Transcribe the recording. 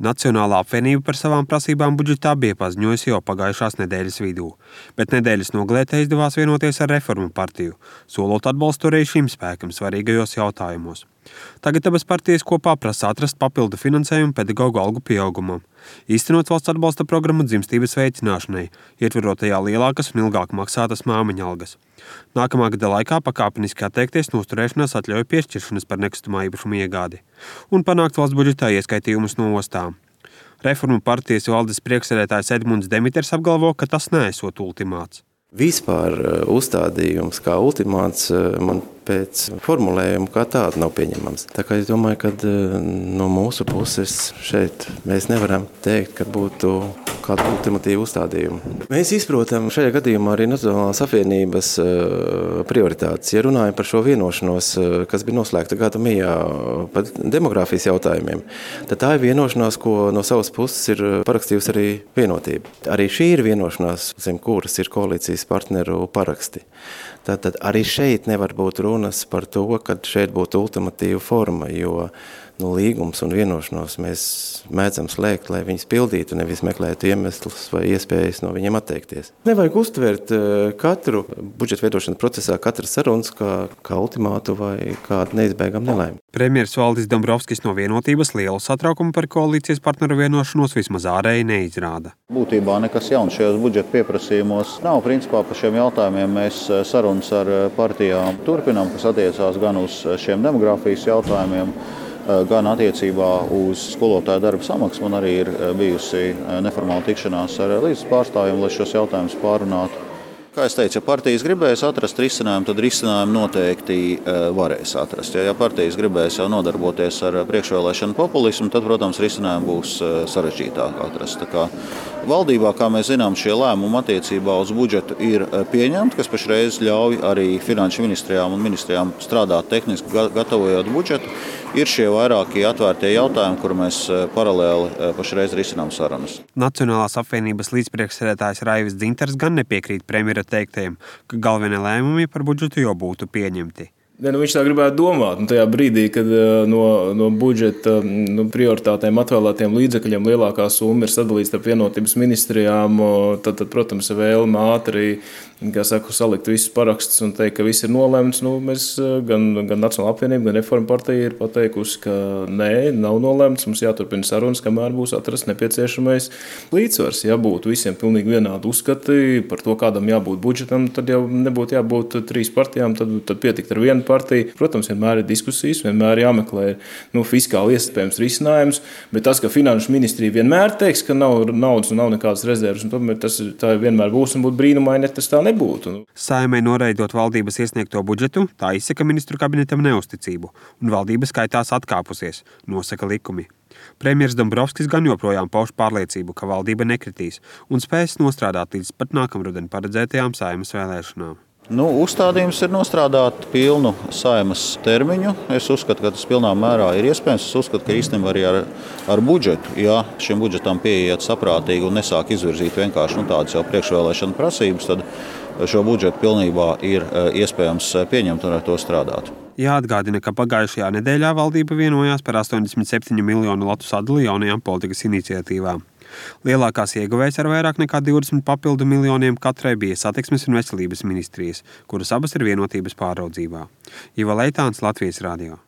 Nacionālā apvienība par savām prasībām budžetā bija paziņojusi jau pagājušās nedēļas vidū, bet nedēļas nogalē izdevās vienoties ar Reformu partiju, solot atbalstu arī šim spēkam svarīgajos jautājumos. Tagad abas partijas kopā prasa atrast papildu finansējumu pedagoģu algu pieaugumam, īstenot valsts atbalsta programmu dzimstības veicināšanai, ietverot tajā lielākas un ilgāk maksātas māmiņa algas. Nākamā gada laikā pakāpeniski atteikties no uzturēšanās atļauju piešķiršanas par nekustamā īpašuma iegādi un panākt valsts budžetā ieskaitījumus no ostām. Reformu partijas valdes priekšsēdētājs Edmunds Demiters apgalvo, ka tas neesot ultimāts. Vispār uzstādījums kā ultimāts man pēc formulējuma kā tāda nav pieņemams. Tā kā es domāju, ka no mūsu puses šeit mēs nevaram teikt, ka būtu kāda ultimatīva uzstādījuma. Mēs izprotam šajā gadījumā arī Nacionālās apvienības prioritātes. Ja runājam par šo vienošanos, kas bija noslēgta gada mijā par demogrāfijas jautājumiem, tad tā ir vienošanās, ko no savas puses ir parakstījusi arī Vienotība. Arī šī ir vienošanās, zem kuras ir koalīcijas partneru paraksti. Tātad arī šeit nevar būt runas par to, ka šeit būtu ultimatīva forma, jo līgums un vienošanos mēs mēdzam slēgt, lai viņus pildītu, nevis meklētu iemeslus vai iespējas no viņiem atteikties. Nevajag uztvert katru budžeta veidošanas procesā, katras sarunas kā ultimātu vai kādu neizbēgamu nelaimi. Premjers Valdis Dombrovskis no Vienotības lielu satraukumu par koalīcijas partneru vienošanos vismaz ārēji neizrāda. Būtībā nekas jauns šajos budžeta pieprasījumos nav. Principā par šiem jautājumiem mēs sarunas ar partijām turpinām, kas attiecās gan uz šiem demogrāfijas jautājumiem, gan attiecībā uz skolotāju darba samaksu. Man arī ir bijusi neformāla tikšanās ar līdzes pārstāvjiem, lai šos jautājumus pārunātu. Kā es teicu, ja partijas gribēs atrast risinājumu, tad risinājumu noteikti varēs atrast. Ja partijas gribēs jau nodarboties ar priekšvēlēšanu populismu, tad, protams, risinājumu būs sarežģītāk atrast. Tā kā valdībā, kā mēs zinām, šie lēmumi attiecībā uz budžetu ir pieņemti, kas pašreiz ļauj arī finanšu ministrijām un ministrijām strādāt tehniski, gatavojot budžetu. Ir šie vairākie atvērtie jautājumi, kur mēs paralēli pašreiz risinām sarunas. Nacionālās apvienības līdzpriekšsēdētājs Raivis Dzintars gan nepiekrīt premjera teiktajiem, ka galvenie lēmumi par budžetu jau būtu pieņemti. Viņš tā gribētu domāt. Tajā brīdī, kad no budžeta prioritātēm atvēlētiem līdzekļiem lielākā summa ir sadalīta starp Vienotības ministrijām, tad protams, vēlme ātri salikt visus parakstus un teikt, ka viss ir nolemts. Mēs gan Nacionālā apvienība, gan Reformu partija ir pateikusi, ka nē, nav nolemts. Mums jāturpina sarunas, kamēr būs atrasts nepieciešamais līdzsvars. Ja būtu visiem pilnīgi vienādi uzskati par to, kādam jābūt budžetam, tad jau nebūtu jābūt 3 partijām, tad pietikt ar vienu partiju. Protams, vienmēr ir diskusijas, vienmēr jāmeklē fiskāli iespējams risinājums, bet tas, ka finanšu ministrija vienmēr teiks, ka nav naudas un nav nekādas rezerves, un tomēr tā vienmēr būs un būtu brīnumaini, ja tas tā nebūtu. Saeimai noraidot valdības iesniegto budžetu, tā izsaka ministru kabinetam neusticību, un valdība skaitās atkāpusies, nosaka likumi. Premjers Dombrovskis gan joprojām pauž pārliecību, ka valdība nekritīs un spēs nostrādāt līdz pat nākamruden paredzētajām Saeimas vēlēšanām. Uzstādījums ir nostrādāt pilnu Saeimas termiņu. Es uzskatu, ka tas pilnā mērā ir iespējams. Es uzskatu, ka īstenībā arī ar budžetu, ja šim budžetam pieiet saprātīgi un nesāk izvirzīt vienkārši tādas jau priekšvēlēšana prasības, tad šo budžetu pilnībā ir iespējams pieņemt un ar to strādāt. Jāatgādina, ka pagājušajā nedēļā valdība vienojās par 87 miljonu latu sadali jaunajām politikas iniciatīvām. Lielākās ieguvējs ar vairāk nekā 20 papildu miljoniem katrai bija Satiksmes un veselības ministrijas, kuras abas ir Vienotības pāraudzībā. Iva Leitāns, Latvijas radio.